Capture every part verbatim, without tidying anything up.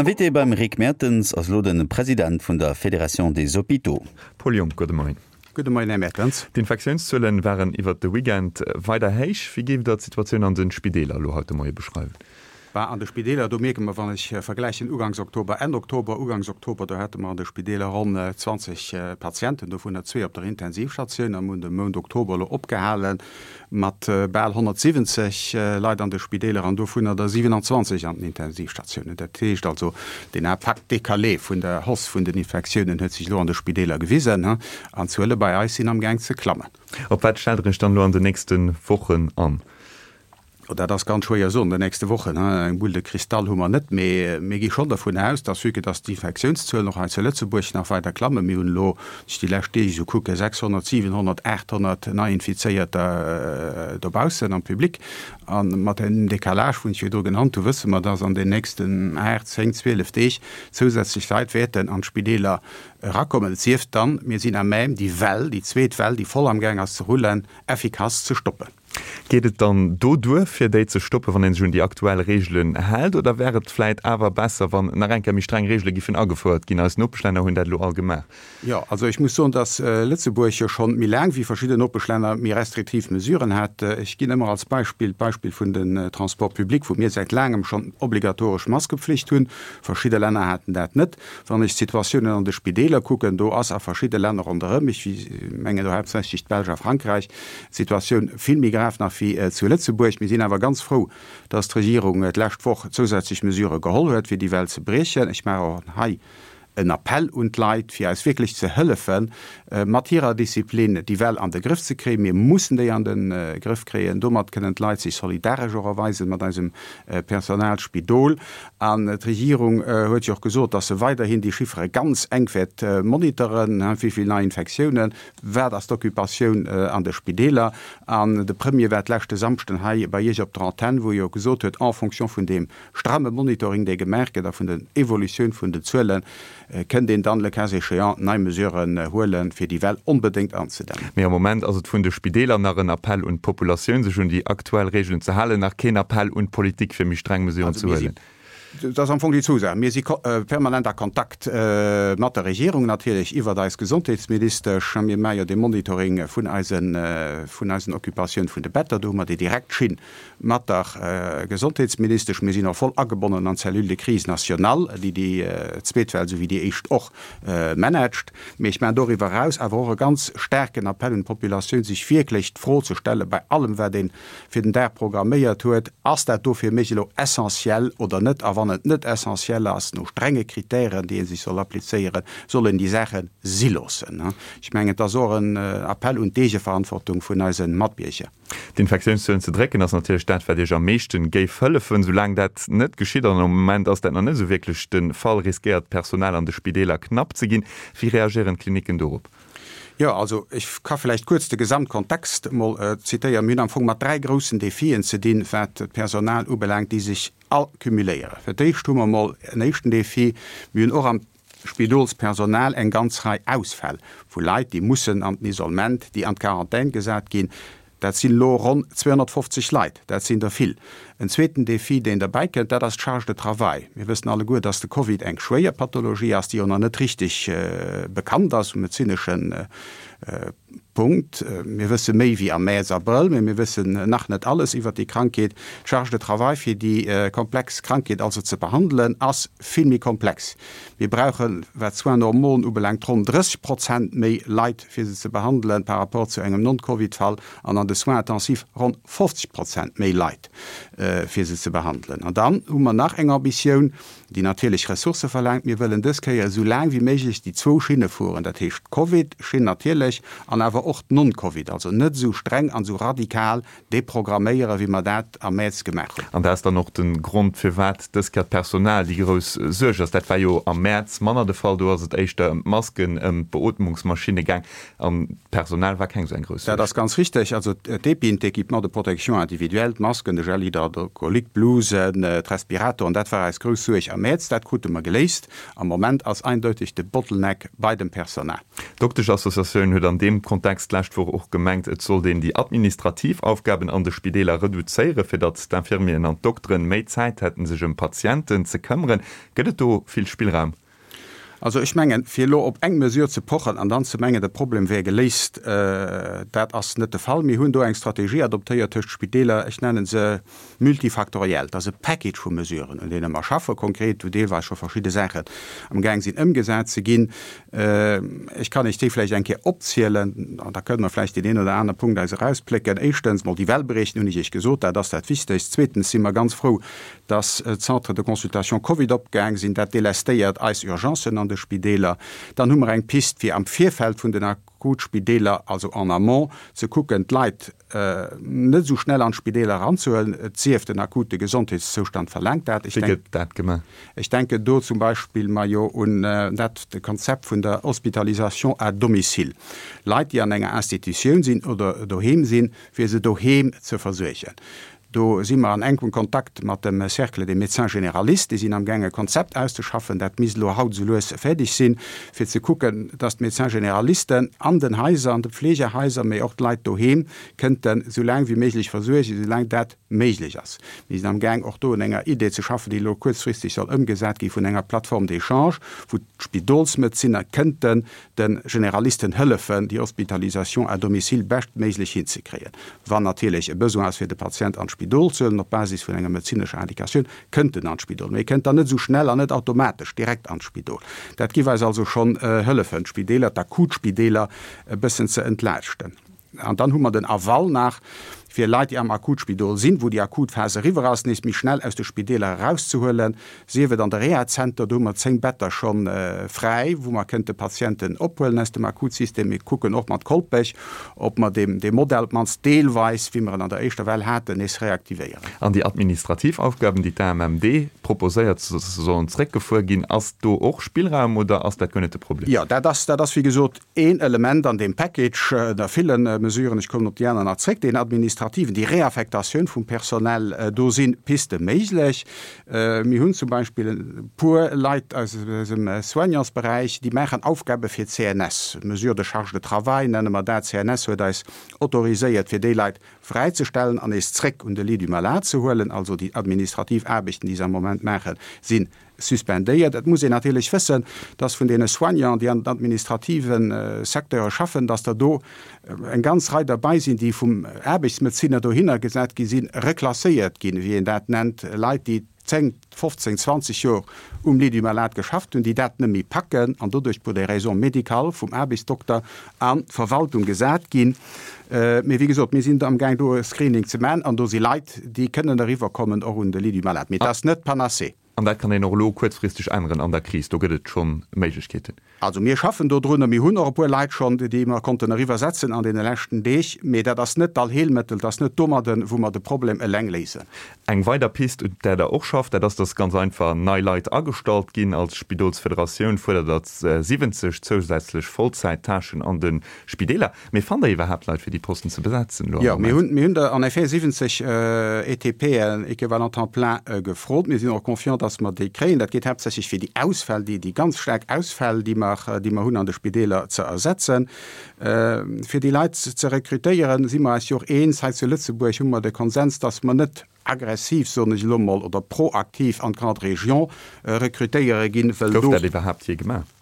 Invité beim Rick Mertens ass elo de President vun der Fédération des Hôpitaux. Paul Junck, gudde Moien. Gudde Moien, Här Mertens. D'Infektiounszuelen waren iwwert de Weekend weider héich. Wéi géift Der d'Situatioun an de Spideeler elo haut de Moie beschreiwen? Bah, an de Spideeler, do mierke mer, wann ech vergläichen Uganks Oktober, Enn Oktober, Uganks Oktober, do hate mer an de Spideeler ronn zwanzeg Patienten, dovunner zwee op der Intensivstatioun, a mir hunn de Mount Oktober elo opgehale mat bal honnertsiwwenzeg Leit an de Spideeler an dovunner der siwenanzwanzeg an den Intensivstatiounen. Dat heescht also, deen Impact décalé vun der Hausse vun den Infektiounen huet sech elo an de Spideeler gewisen an d'Zuele bei eis sinn amgaang ze klammen. Op wat stellt Der Iech dann elo an den nächste Wochen an? Oh, dat ass ganz schwéier soen, an den nächste Wochen. Eng Boule de cristal hu mer net, mee mir gi schonn dervun aus, dass, vue que dass d'Infektiounszuelen och hei zu Lëtzebuerg nach weider klammen, mir hunn elo, wann ech déi lescht Deeg esou kucken, sechshonnert, siwenhonnert, aathonnert Neiinfizéierter dobaussen am Public, a mat deem Décalage, wou ech virdru genannt hu, wësse mer, dass an den nächsten aacht, zéng, zwielef Deeg zousätzlech Leit wäerten an d'Spideeler erakommen. Et sief dann, mir sinn à même, déi Well, déi zweet Well, déi voll amgaang ass ze rullen, effikass ze stoppen. Geet et dann do duer, fir déi ze stoppen, wann ee sech un déi aktuell Reegelen hält, oder wär et vläit awer besser, wann nach eng Kéier méi streng Reegele giffen agefouert ginn? Eis Nopeschlänner hunn dat elo all gemaach. Jo, also ech muss soen, dass Lëtzebuerg jo schonn méi laang wéi verschidden Nopeschlänner méi restriktiv Mesuren hat. Ech ginn ëmmer als Beispill d'Beispill vun den Transports publics, wou mir säit laangem schonn obligatoresch Maskepflicht hunn. Verschidde Länner haten dat net. Wann ech d'Situatiounen an de Spideeler kucken, do ass a verschidde Länner ronderëm, ech mengen do haaptsächlech d'Belsch a Frankräich, d'Situatioun vill méi grav nach wéi zu Lëtzebuerg. Mir sinn awer ganz frou, dass d'Regierung d'lescht Woch zousätzlech Mesurë geholl huet, fir déi Well ze briechen. Ech maachen och hei en Appell un d'Leit, fir eis wierklech ze hëllefen, mat hirer Disziplin déi Well an de Grëff ze kréien. Mir mussen déi an de Grëff kréien. Domat kënnen d'Leit sech solidaresch och erweisen mat eisem Personal, Spidol. An d'Regierung huet jo och gesot, dass se weiderhin déi Chiffere ganz enk wäert monitoren, wéi vill nei Infektiounen, wat ass d'Occupatioun an de Spideeler. An de Premier war d'leschte Samschden hei bei Iech op der Antenn, wou e jo gesot huet, en fonction vun deem stramme Monitoring, dee gemaach gëtt, a vun der Evolutioun vun den Zuelen, kënnt een dann, le cas échéant, nei Mesuren huelen, fir déi Well onbedéngt anzedämmen. Mee am Moment ass et vun de Spideeler nach en Appell un d'Populatioun, sech un déi aktuell Reegelen ze halen, nach keen Appell un d'Politik, fir méi streng Mesuren ze huelen. Dat ass am Fong déi zwou Saachen. Mir si permanent a Kontakt mat der Regierung natierlech iwwert eis Gesondheetsministesch. Mir maache jo dee Monitoring vun eisen, vun eisen Occupatioun vun de Better. Do hu mer déi direkt Schinn mat der Gesondheetsministesch. Mir sinn och voll agebonnen an d'Cellule de crise nationale, déi déi zweet Well, esou wéi déi éischt och, managt. Mee ech maachen doriwwer eraus awer och e ganz staarken Appell un d'Populatioun, sech wierklech d'Fro ze stelle bei allem, wat ee fir den Dag programméiert huet, Ass dat do fir mech elo essentiell oder net? A wann et net essentiell ass, no strenge Kritären, déi ee sech soll applizéieren, soll een déi Saache si loossen. Ech mengen, et ass och en Appell un d'Eegeverantwortung vun eise Matbierger. D'Infektiounszuelen ze drécken ass natierlech dat, wat Iech am meeschten géif hëllefen. Soulaang dat net geschitt, an am Moment ass dat nach net esou wierklech de Fall, riskéiert d'Personal an de Spideeler knapp ze ginn. Wéi reagéieren d'Klinicken dorop? Jo, also ech ka vläicht kuerz de Gesamtkontext emol zitéieren. Mir hunn am Fong mat dräi groussen Defien ze dinn, wat d'Personal ubelaangt, déi sech all cumuléieren. Fir d'éischt hu mer emol en éischten Defi, Mir hunn och am Spidolspersonal eng ganz Rei Ausfäll vu Leit, déi mussen an den Isolement, déi an d'Quarantän gesat ginn. Dat sinn elo ronn zweehonnertfofzeg Leit, dat sinn der vill. En zweeten Defi, deen derbäi kënnt, dat ass d'Charge de travail. Mir wëssen alleguer, dass de Covid eng schwéier Pathologie ass, déi och nach net richteg bekannt ass um medezinesche Punkt. Mir wësse méi wéi am Mäerz, Abrëll, mee mir wëssen nach net alles iwwert déi Krankheet. D'Charge de travail, fir déi komplex Krankheet also ze behandelen, ass vill méi komplex. Mir brauchen, wat d'Soins normaux ubelaangt, ronn drësseg Prozent méi Leit, fir se ze behandelen, par rapport zu engem Non-Covid-Fall, an an de Soins intensifs ronn fofzeg Prozent méi Leit, fir se ze behandelen. An dann hu mer nach eng Ambitioun, déi natierlech Ressourcë verlaangt. Mir wëllen dës Kéier esou laang wéi méiglech déi zwou Schinne fueren, dat heescht d'Covid-Schinn natierlech an awer och d'Non-Covid, also net esou streng an esou radikal deprogramméieren, wéi mer dat am Mäerz gemaach hunn. An dat ass dann och de Grond, firwat dës Kéier d'Personal déi grouss Suerg ass. Dat war jo am Mäerz manner de Fall, do ass et éischter ëm d'Masken, ëm d'Beootmungsmaschinne gaang an d'Personal war keng esou eng grouss Dat Suerg. ass ganz richteg. Also d'EPIen, d'Équipements de protection individuelle, d'Masken, de Gel hydroalcoolique, d'Blusen, d'Respiratoren, dat war eis grouss Suerg am Mäerz, dat krute mer geléist. Am Moment ass eindeuteg de Bottleneck bei dem Personal. D'Dokteschassociatioun huet an deem Kontext d'lescht Woch och gemengt, et sollt een déi administrativ Aufgaben an de Spideeler reduzéieren, fir datt d'Infirmieren an d'Dokteren méi Zäit hätten, sech ëm Patienten ze këmmeren. Gëtt et do vill Spillraum? Also ech mengen, fir elo op eng Mesure ze pochen an dann ze mengen, de Problem wär geléist, dat ass net de Fall. Mir hunn do eng Strategie adoptéiert tëscht Spideeler, ech nenne se multifactoriel. Dat ass e Package vu Mesuren, un deene mer schaffen, konkret, wou deelweis scho verschidde Saachen amgaang sinn ëmgesat ze ginn. Ech kann Iech déi vläicht eng Kéier opzielen an da kënne mer vläicht deen een oder anere Punkt eis erausplécken. Éischtens mol déi Wellberechten, hunn ech Iech gesot, dat ass dat Wichtegst. Zweetens si mer ganz frou, dass d'Centres de consultation Covid opgaang sinn. Dat delestéiert eis Urgencen an de Spideeler. Dann hu mer eng Pist, fir am Virfeld vun den Akutspideeler, also en amont, ze kucken, d'Leit net esou schnell an d'Spideeler eranzehuelen, et sief den akute Gesondheetszoustand verlaangt dat. Wéi gëtt dat gemaach? Ech denken do zum Beispill majo un dat Konzept vun der Hospitalisation à domicile. Leit, déi an enger Institutioun sinn oder doheem sinn, fir se doheem ze versuergen. Do si mer an enkem Kontakt mat dem Cercle des médecins généralistes. Déi sinn amgaang e Konzept auszeschaffen, dat misst elo haut esou lues fäerdeg sinn, fir ze kucken, dass d'Médecins généralisten an den Haiser, an de Pflegehaiser, mee och d'Leit doheem kënnten esou laang wéi méiglech versuergen, esou laang dat méiglech ass. Mir sinn amgaang och do un enger Idee ze schaffen, déi elo kuerzfristeg soll ëmgesat gi vun enger Plateforme d'échange, wou d'Spidolsmedeziner kënnten de Generalisten hëllefen, déi Hospitalisation à domicile beschtméiglech hinzekréien. Wann natierlech e Besoin ass, fir de Patient an d'Spidol ze huelen, op Basis vun enger medezinescher Indikatioun, kënnt en an d'Spidol. Mee e kënnt dann net esou schnell an net automatesch direkt an d'Spidol. Dat giff eis also schonn hëllefen, d'Spideeler, d'Akutspideeler e bëssen ze entlaaschten. An dann hu mer den Aval nach, fir Leit, déi am Akutspidol sinn, wou déi akut Phas eriwwer ass, nees méi schnell aus de Spideeler erauszehuelen, sief et an de Rehazenter, do hu mer zéng Better scho fräi, wou mer kënnte Patienten ophuelen aus dem Akutsystem. Mir kucken och mat Kolpech, ob mer dee Modell op d'mannst deelweis, wéi mer en an der éischter Well haten, nees reaktivéieren. An déi administrativ Aufgaben, déi d'AMMD proposéiert, sollen zréckgefuer ginn. Ass do och Spillraum oder ass dat guer net de Problem? Jo, dat ass, dat ass wéi gesot een Element an deem Package, ënner ville Mesuren. Ech kommen op déi aner nach zréck, deen administrativen, déi Reaffektatioun vum Personnel, do si Piste méiglech. Mir hunn zum Beispill e puer Leit aus eisem Soignantsberäich, déi maachen Aufgabe fir d'CNS, Mesures de charge de travail nenne mer dat. D'CNS huet eis autoriséiert, fir déi Leit fräizestellen an nees zréck un de Lit du malade ze huelen. Also déi administrativ Aarbechten, déi se am Moment maachen, si suspendéiert. Et muss een natierlech wëssen, dass vun deene Soignanten, déi an den administrative Secteure schaffen, dass der do eng ganz Rei derbei sinn, déi vum Aarbechtsmedezinner dohinner gesat gi sinn, reklasséiert ginn, wéi een dat nennt, Leit, déi zéng, fofzéng, zwanzeg Joer um Lit du malade geschafft hunn, déi dat net méi packen an doduerch pour des raisons médicales vum Aarbechtsdokter an d'Verwaltung gesat ginn. Mee wéi gesot, mir sinn amgaang do e Screening ze man an do si Leit, déi kënnen eriwwerkommen och un de Lit du malade. Mee et ass net d'Panacée. An dat kann een och elo kuerzfristeg änneren an der Kris, do gëtt et scho Méiglechkeeten. Also mir schaffen do drun a mir hunn och e puer Leit schonn, déi mer konnten eriwwer setzen an deene leschten Deeg. Mee dat ass net d'Allheelmëttel, dat ass net domadden, wou mer de Problem eleng léisen. Eng weider Pist, un där Der och schafft, dat ass, dass ganz einfach nei Leit agestallt ginn. Als Spidolsfederatioun fuerdert Der siwwenzeg zousätzlech Vollzäittâchen an de Spideeler. Mee fannt Der iwwerhaapt Leit, fir déi Posten ze besetzen elo am Jo, Moment? mir hunn, mir hunn der en effet siwwenzeg ETPen, Équivalent temps plein, gefrot. Mir sinn och confiant, dass mer déi kréien. Dat geet haaptsächlech fir déi Ausfäll, déi, déi ganz staark Ausfäll, déi mer, déi mer hunn an de Spideeler, ze ersetzen. Fir déi Leit ze rekrutéieren, si mer eis jo och eens, hei zu Lëtzebuerg hu mer de Konsens, dass mer net aggressiv, soen ech elo emol, oder proaktiv an d'Grande Région rekrutéiere ginn, well Gouf do. dat iwwerhaapt jee gemaach?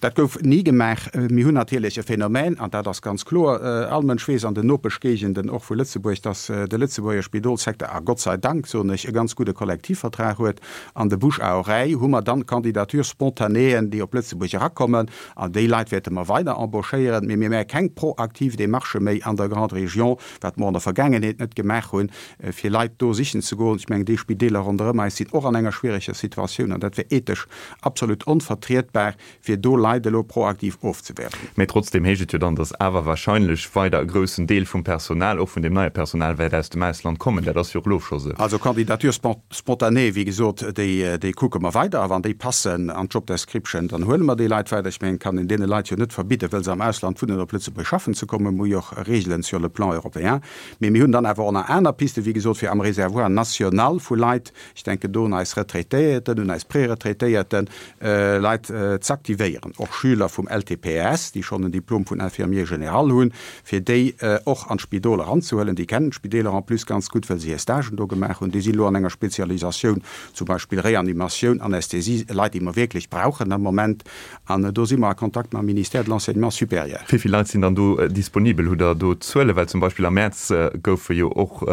Dat gouf ni gemaach. Mir hunn natierlech e Phänomen, an dat ass ganz kloer, all Mënsch weess an den Nopeschgéigenden och vu Lëtzebuerg, dass de Lëtzebuerger Spidolssecteur, a Gott sei Dank, soen ech, e ganz gudde Kollektivvertrag huet. An de Bouche à oreille hu mer dann Candidatures spontanéeën, déi op Lëtzebuerg erakommen, an déi Leit wäerte mer weider embauchéieren. Mee mir maache keng proaktiv Démarchë méi an der Grande Région, wat mer an der Vergaangenheet net gemaach hunn, fir Leit do sichen ze goen. Ech mengen, déi Spideeler ronderëm eis sinn och an enger schwiereger Situatioun, an dat wär ethesch absolut onvertrietbar, fir do Leit Leit elo proaktiv ofzewerben. Mee trotzdem heescht et jo dann, datt awer wahrscheinlech weider e groussen Deel vum Personal, och vun deem neie Personal, wäert aus dem Ausland kommen. Dat ass jo och elo scho sou. Also Candidatures spontanées, wéi gesot, déi, déi kucke mer weider. A wann déi passen an d'Job description, dann huele mer déi Leit weider. Ech mengen, et kann een deene Leit jo net verbidden, wëll se am Ausland wunnen, op Lëtzebuerg schaffen ze kommen. Mir hu jo och Regeln sur le plan européen. Mee mir hunn dann awer och nach aner Pisten, wéi gesot, fir am Réservoir national vu Leit, ech denken do un eis Retraitéierten, un eis Préretraitéierten, Leit z'aktivéieren, och Schüler vum L T P S, déi schonn en Diplom vun Infirmier général hunn, fir déi och an d'Spidol eranzehuelen. Déi kennen d'Spideeler en plus ganz gutt, well se hir Stagen do gemaach hunn. Déi sinn elo an enger Spezialisatioun, zum Beispill Reanimatioun, Anästhesie, Leit, déi mer wierklech brauchen am Moment. An do si mer a Kontakt mam Ministère de l'Enseignement supérieur. Wéi vill Leit sinn dann do disponibel? Hutt Der do Zuelen? Well zum Beispill am Mäerz goufe jo och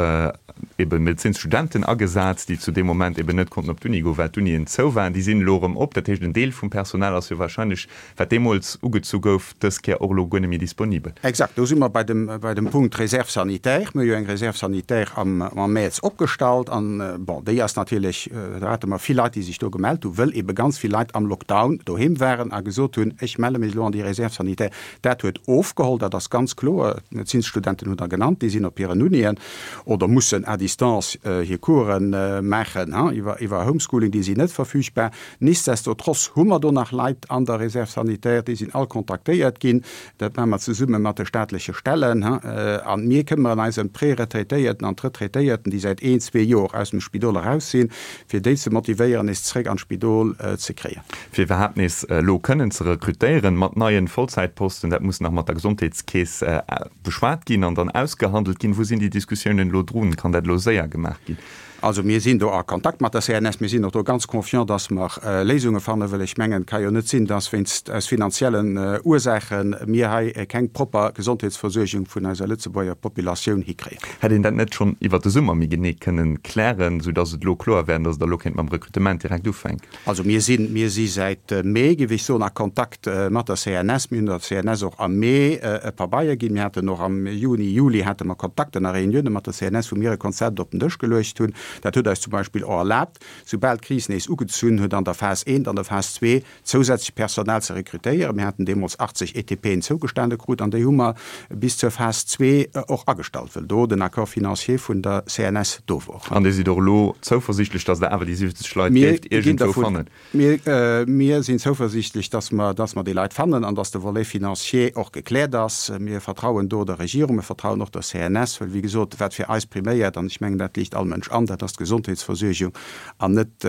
ebe Medezinsstudenten agesat, déi zu deem Moment eben net konnten op d'Uni goen, well d'Unien zou waren. Déi sinn elo erëm op. Dat heescht, en Deel vum Personal ass jo wahrscheinlech, wat deemools ugezu gouf, dës Kéier och elo guer net méi disponibel. Exakt, do si mer bei dem, bei dem Punkt Réserve sanitaire. Mir hu jo eng Réserve sanitaire am, am Mäerz opgestallt an, bon, déi ass natierlech, do hate mer vill Leit, déi sech do gemellt hu, wëll ebe ganz vill Leit am Lockdown doheem waren a gesot hunn, ech melle mech elo an déi Réserve sanitaire. Dat huet ofgeholl, dat ass ganz kloer. D'Medezinsstudenten hutt Der genannt, déi sinn op hiren Unien oder mussen à distance hir Course maachen, iwwer, iwwer Homeschooling, déi sinn net verfügbar. Nichtsdestotrotz hu mer do nach Leit an der Réserve sanitaire, déi sinn all kontaktéiert ginn. Dat maache mer zesumme mat de staatleche Stellen. A mir këmmeren eis ëm d'Preretraitéierten an d'Retraitéierten, déi säit een, zwee Joer aus dem Spidol eraus sinn, fir déi ze motivéieren, nees zréck an d'Spidol ze kréien. Fir iwwerhaapt nees elo kënnen ze rekrutéieren mat neien Vollzäitposten, dat muss nach mat der Gesondheetskeess beschwat ginn an dann ausgehandelt ginn. Wou sinn déi Diskussiounen elo drun? Kann dat elo séier gemaach ginn? Also mir sinn do a Kontakt mat der C N S. Mir sinn och do ganz confiant, dass mer Léisunge fannen, well ech mengen, et ka jo net sinn, dass wéinst aus finanziellen Ursaache mir hei keng propper Gesondheetsversuergung vun eiser Lëtzebuerger Populatioun hikréien. Hätt een dat net schonn iwwert de Summer méi genee kënnen klären, soudass et elo kloer wär an dass Der elo kéint mam Rekrutement direkt ufänken? Also mir sinn, mir si säit Mee, géif ech soen, a Kontakt mat der C N S. Mir hunn der C N S och am Mee e Pabeier ginn. Mir haten och am Juni, Juli hate mer Kontakten a Reunioune mat der C N S, wou mir e Konzept op den Dësch geluecht hunn. Dat huet eis zum Beispill och erlaabt, soubal d'Kris nees ugezunn huet an der Phas eent, an der Phas zwee, zousätzlech Personal ze rekrutéieren. Mir haten deemools achtzeg E T P'en zougestane krut an déi hu mer bis zur Phas zwee och agestallt, well do den Accord financier vun der C N S do wor. An Dir sidd och elo zouversiichtlech, datt Der awer déi siwwenzeg Leit géift iergendwou fannen? Mir, mir sinn zouversiichtlech, datt mer, datt mer déi Leit fannen an datt de Volet financier och gekläert ass. Mir vertrauen do der Regierung, mir vertrauen och der C N S, well, wéi gesot, wat fir eis priméiert, an ech mengen, dat liicht all Mënsch an, dat ass d'Gesondheetsversuergung an net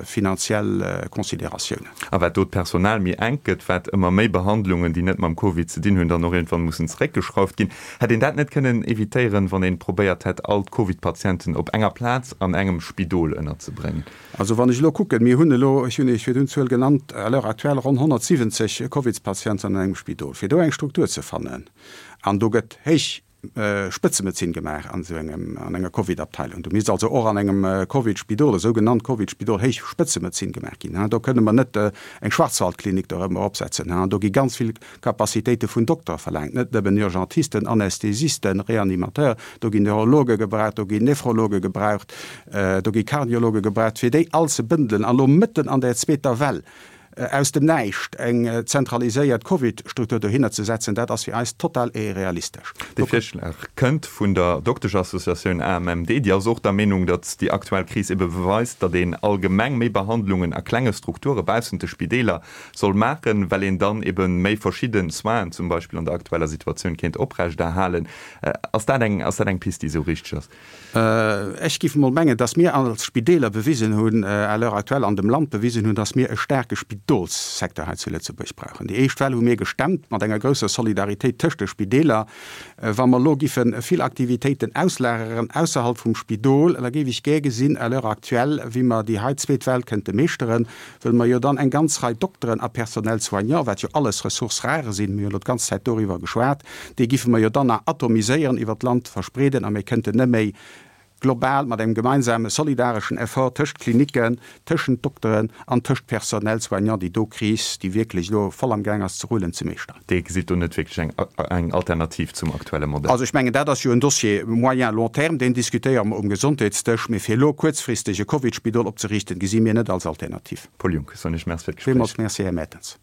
finanziell Consideratiounen. A wat do d'Personal méi enk gëtt, wat ëmmer méi Behandlungen, déi net mam Covid ze dinn hunn, dann och iergendwann mussen zeréckgeschrauft ginn. Hätt een dat net kënnen evitéieren, wann ee probéiert hätt, all d'Covid-Patienten op enger Plaz an engem Spidol ënnerzebréngen? Also wann ech elo kucken, mir hunn elo, ech hunn Iech virdrun d'Zuel genannt, à l'heure actuelle ronn honnertsiwwenzeg Covidspatienten an engem Spidol. Fir do eng Struktur ze fannen, an do gëtt héich Spëtzemedezin gemaach an esou engem, an enger Covid-Abteilung. Do misst also och an engem Covid-Spidol, e sougenannt Covid-Spidol, héich Spëtzemedezin gemaach ginn. Do kënne mer net eng Schwarzwaldklinik dorëmmer opsetzen. Do gi ganz vill Capacitéite vun Doktere verlaangt, net nëmmen Urgentisten, Anästhesisten, Reanimateur, do ginn Neurologe gebraucht, do ginn Nephrologe gebraucht, do gi Kardiologe gebraucht, fir déi all ze bëndelen an elo mëtten an där zweeter Well aus dem Näischt eng zentraliséiert Covid-Struktur dohinner ze setzen, dat ass fir eis total irrealistesch. Dee Virschlag kënnt vun der Dokteschassociatioun A M M D. Déi ass och der Meenung, datt déi aktuell Kris ebe beweist, datt een allgemeng méi Behandlungen a klenge Strukture baussent de Spideeler soll maachen, well een dann ebe méi verschidde Soinen zum Beispill an der aktueller Situatioun kéint oprechterhalen. Ass dat eng, ass dat eng Pist, déi esou richteg ass? Ech géif emol mengen, datt mir als Spideeler bewisen hunn, à l'heure actuelle an dem Land bewisen hunn, datt mir e staarke Spidolssecteur hei zu Lëtzebuerg brauchen. Déi éischt Well hu mir gestemmt mat enger grousser Solidaritéit tëscht de Spideeler. Wa mer elo giffe vill Aktivitéiten auslageren ausserhalb vum Spidol, da géif ech gär gesinn, à l'heure actuelle, wéi mer déi hei zweet Well kënnte meeschteren, wëll mer jo dann eng ganz Rei Dokteren a Personnel soignant, wat jo alles Ressources rares sinn, mir hunn elo d'ganz Zäit doriwwer geschwat, déi giffe mer jo dann nach atomiséieren, iwwert d'Land verspreeden a mir kënnten net méi global mat engem gemeinsame solidareschen Effort tëscht Klinicken, tëschent Dokteren an tëscht Personnel soignant déi do Kris, déi wierklech elo voll am Gaang ass ze rullen, ze meeschteren. Dir gesitt do net wierklech eng eng Alternativ zum aktuelle Modell? Also ech mengen, dat ass jo en Dossier moyen, long terme, deen diskutéiere mer um Gesondheetsdësch, mee fir elo kuerzfristeg e Covidspidol opzeriichten, gesi mir net als Alternativ. Paul Junck, soen ech Merci fir d'Gespréich. Villmools Merci, Här Mertens.